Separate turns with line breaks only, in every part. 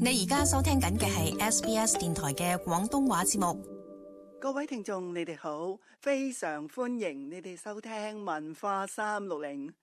你而家收聽緊嘅係 SBS 電台嘅廣東話節目。
各位聽眾，你哋好，非常歡迎你哋收聽文化360。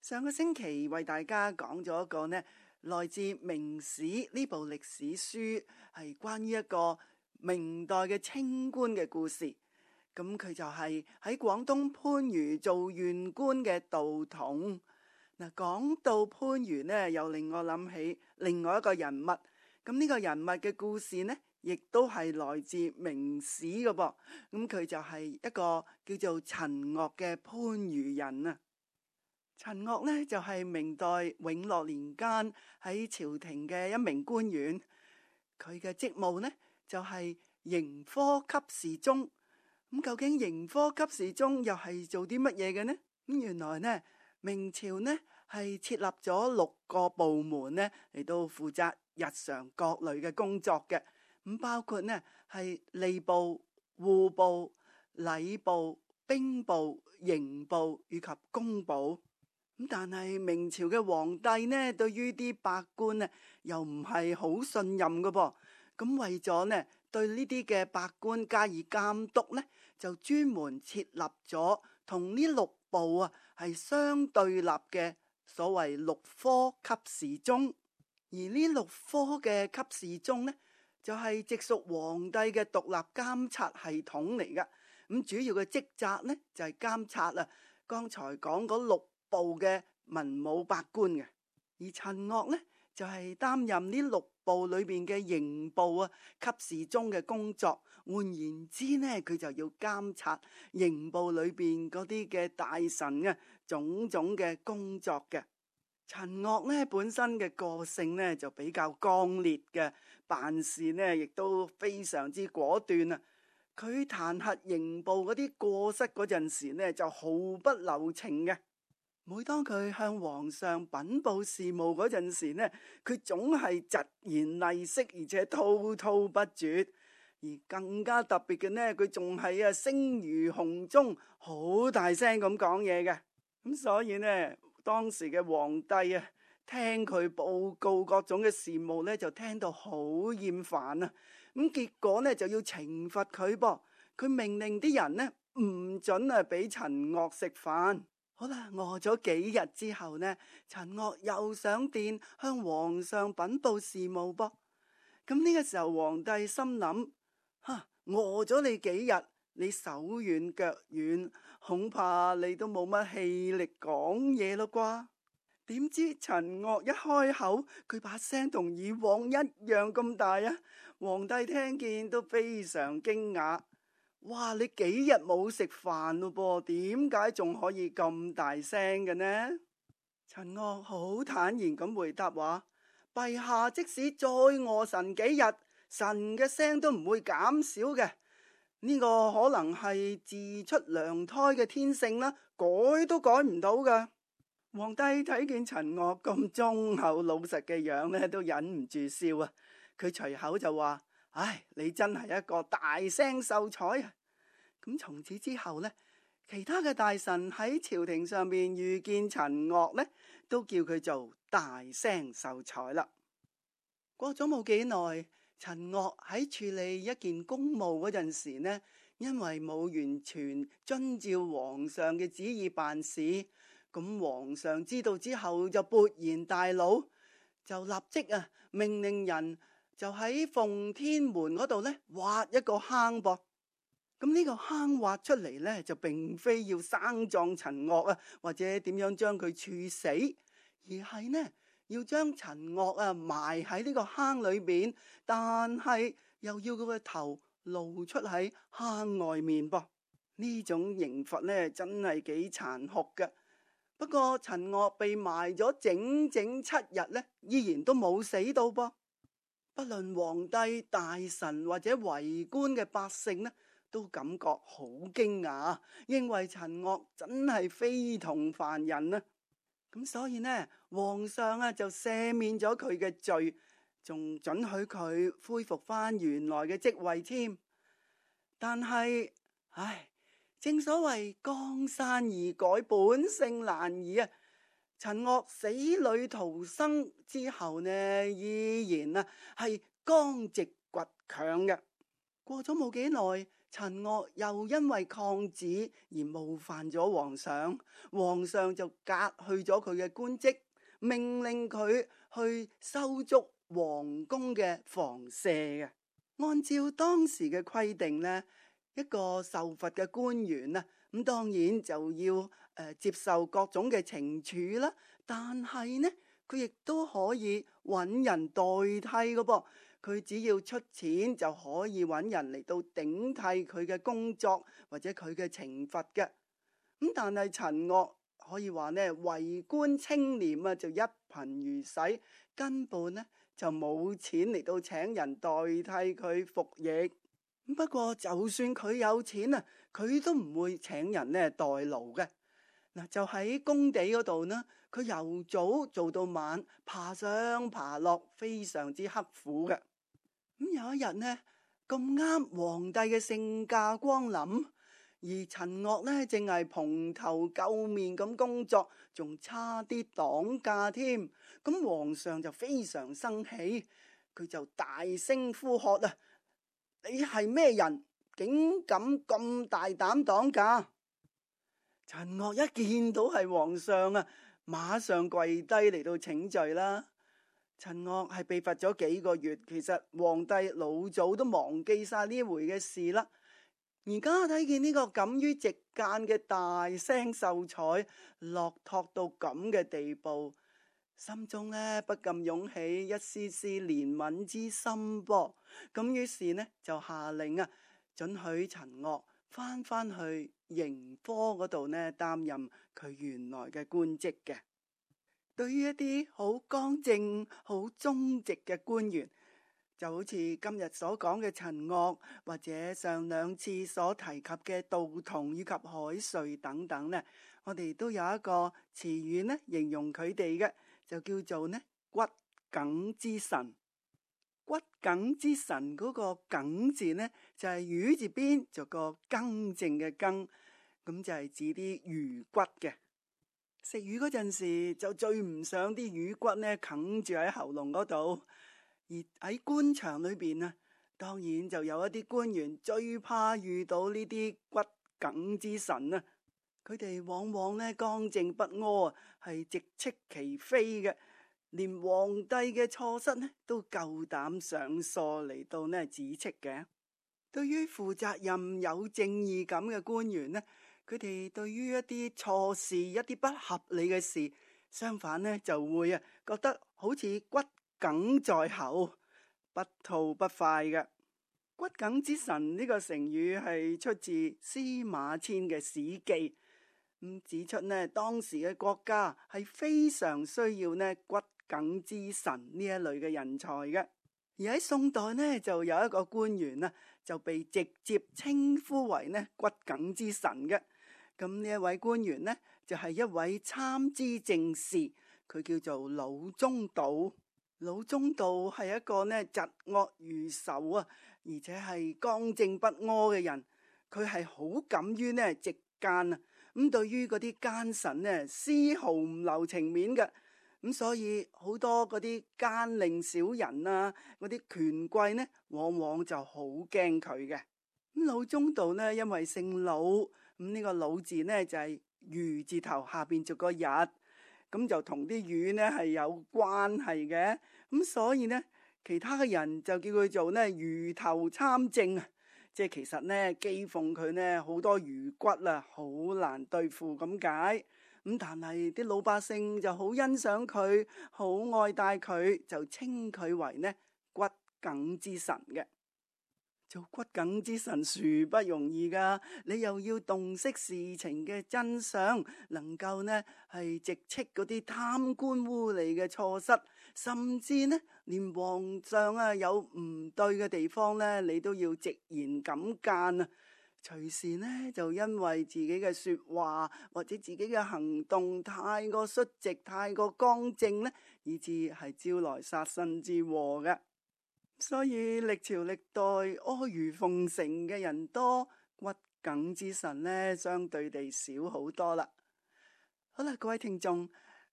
上個星期為大家講咗一個來自《明史》呢部歷史書，係關於一個明代嘅清官嘅故事。咁佢就係喺廣東番禺做縣官嘅杜同。嗱，講到番禺呢，又令我諗起另外一個人物。咁呢個人物嘅故事呢，亦都係來自《明史》嘅噃。咁佢就係一個叫做陳岳嘅番禺人啊。陳岳呢，就係明代永樂年間喺朝廷嘅一名官員。佢嘅職務呢，就係刑科給事中。咁究竟刑科給事中又係做啲乜嘢嘅呢？咁原來呢，明朝呢係設立咗6個部門呢嚟到負責日常各類嘅工作嘅。咁包括呢係吏部、戶部、禮部、兵部、刑部以及工部。咁但係明朝嘅皇帝呢，對於啲百官呢又唔係好信任嘅噃。咁為咗呢對呢啲嘅百官加以監督呢，就專門設立咗同呢6部係相對立嘅所謂6科給事中。而呢6科嘅給事中呢，就係直屬皇帝嘅獨立監察系統嚟噶。咁主要嘅職責呢，就係監察剛才講嗰6部嘅文武百官嘅。而陳岳呢，就係擔任呢6部裏邊嘅刑部給事中嘅工作。換言之呢，佢就要監察刑部裏邊嗰啲嘅大臣種種嘅工作嘅。陳岳呢本身嘅個性呢就比較剛烈嘅，辦事呢亦都非常之果斷啊。佢彈劾刑部嗰啲過失嗰陣時呢，就毫不留情嘅。每當佢向皇上稟報事務嗰陣時呢，佢總係疾言厲色，而且滔滔不絕。而更加特別嘅呢，佢仲係聲如洪鐘，好大聲咁講嘢嘅。咁所以呢，當時嘅皇帝聽佢報告各種嘅事務呢，就聽到好厭煩啊。咁結果呢，就要懲罰佢噃。佢命令啲人呢唔准俾陳岳食飯。好啦，餓咗幾日之後呢，陳岳又上殿向皇上稟報事務噃。咁呢個時候皇帝心諗，餓咗你幾日，你手軟腳軟，恐怕你都冇乜氣力講嘢咯啩。點知陳岳一開口，佢把聲同以往一樣咁大啊！皇帝聽見都非常驚訝。哇！你幾日冇食飯咯噃？點解仲可以咁大聲嘅呢？陳岳好坦然咁回答話：陛下即使再餓神幾日，神嘅聲都唔會減少嘅。呢個可能係自出娘胎嘅天性啦，改都改唔到噶。皇帝睇見陳岳咁忠厚老實嘅樣呢，都忍唔住笑啊！佢隨口就話：唉，你真係一個大聲秀才啊！咁從此之後呢，其他嘅大臣喺朝廷上面遇見陳岳呢，都叫佢做大聲秀才啦。過咗冇幾耐，陳岳喺處理一件公務嗰陣時呢，因為冇完全遵照皇上嘅旨意辦事，咁皇上知道之後就勃然大怒，就立即命令人就喺奉天門嗰度呢挖一個坑噃。咁呢個坑挖出嚟呢，就並非要生葬陳岳或者點樣將佢處死，而係呢要將陳岳埋喺呢個坑裏邊，但係又要佢個頭露出喺坑外面噃。呢種刑罰呢，真係幾殘酷嘅。不過陳岳被埋咗整整7日呢，依然都冇死到噃。不論皇帝、大臣或者圍觀嘅百姓呢，都感覺好驚訝，認為陳岳真係非同凡人啊！咁所以呢，皇上就赦免咗佢嘅罪，仲准許佢恢復翻原來嘅職位添。但係，正所謂江山易改，本性難移啊！陳岳死裏逃生之後呢，依然係剛直倔強嘅。過咗冇幾耐，陳岳又因為抗旨而冒犯咗皇上，皇上就革去咗佢嘅官職，命令佢去修築皇宮嘅房舍嘅。按照當時嘅規定呢，一個受罰嘅官員咁當然就要接受各種嘅懲處啦。但係呢，佢亦都可以揾人代替嘅噃。佢只要出錢就可以揾人嚟到頂替佢嘅工作或者佢嘅懲罰嘅。咁但係陳岳可以話呢，為官清廉就一貧如洗，根本呢就冇錢嚟到請人代替佢服役。不過就算佢有錢佢都唔會請人呢代勞嘅。就喺工地嗰度呢，佢由早做到晚，爬上爬落，非常之刻苦嘅。有一日呢，咁啱皇帝嘅聖駕光臨，而陳岳呢正係蓬頭垢面咁工作，仲差啲擋駕添。咁皇上就非常生氣，佢就大聲呼喝你係咩人，竟敢咁大膽擋駕？陳岳一見到係皇上馬上跪低嚟到請罪啦。陳岳係被罰咗幾個月，其實皇帝老早都忘記晒呢回嘅事啦。而家睇見呢個敢於直諫嘅大聲秀才落拓到咁嘅地步，心中呢不禁湧起一絲絲憐憫之心噃。咁於是呢就下令准許陳岳翻去刑科嗰度呢擔任佢原來嘅官職嘅。對於一啲好剛正、好忠直嘅官員，就好似今日所講嘅陳岳，或者上兩次所提及嘅杜同以及海瑞等等呢，我哋都有一個詞語呢形容佢哋嘅，就叫做呢骨耿之臣。骨耿之臣嗰個耿字呢，就係魚字邊就個更正嘅更，咁就係指啲魚骨嘅。食魚嗰陣時就最唔想啲魚骨呢啃住喺喉嚨嗰度，而喺官場裏邊當然就有一啲官員最怕遇到呢啲骨耿之臣佢哋往往呢剛正不阿，係直斥其非嘅，連皇帝嘅錯失呢都夠膽上訴嚟到呢指斥嘅。對於負責任有正義感嘅官員呢，佢哋對於一啲錯事、一啲不合理嘅事，相反呢就會覺得好似骨耿在喉，不吐不快嘅。骨耿之臣呢個成語係出自司馬遷嘅《史記》，指出呢當時嘅國家係非常需要呢骨耿之臣呢一類嘅人才嘅。而喺宋代呢，就有一個官員就被直接稱呼為呢骨耿之臣嘅。咁呢一位官員呢，就係一位參知政事，佢叫做魯中道。魯中道係一個呢疾惡如仇而且係剛正不阿嘅人。佢係好敢於呢直諫咁對於嗰啲奸臣呢，絲毫唔留情面嘅。咁所以好多嗰啲奸佞小人嗰啲權貴呢，往往就好驚佢嘅。咁魯中道呢，因為姓魯，呢個魯字呢，就係魚字頭下邊做個日，咁就同啲魚呢係有關係嘅。咁所以呢，其他嘅人就叫佢做呢魚頭參政，即係其實呢譏諷佢呢好多魚骨好難對付咁解。咁但係啲老百姓就好欣賞佢，好愛戴佢，就稱佢為呢骨耿之臣嘅。做骨耿之臣殊不容易噶，你又要洞悉事情嘅真相，能夠呢係直斥嗰啲貪官污吏嘅錯失，甚至呢連皇上有唔對嘅地方呢，你都要直言敢諫隨時呢就因為自己嘅說話或者自己嘅行動太過率直、太過剛正呢，以致係招來殺身之禍嘅。所以歷朝歷代阿諛奉承嘅人多，骨耿之臣呢相對地少好多啦。好啦，各位聽眾，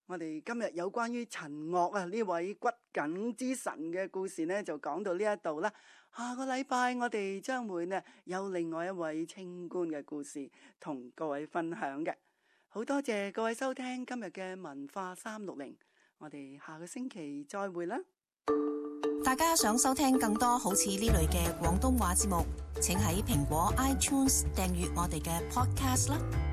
我哋今日有關於陳岳呢位骨梗之神嘅故事呢，就講到呢一度啦。下個禮拜我哋將會呢有另外一位清官嘅故事同各位分享嘅。好多謝各位收聽今日嘅文化360，我哋下個星期再會啦。
大家想收聽更多好似呢類嘅廣東話節目，請喺蘋果 iTunes 訂閱我哋嘅 Podcast 啦。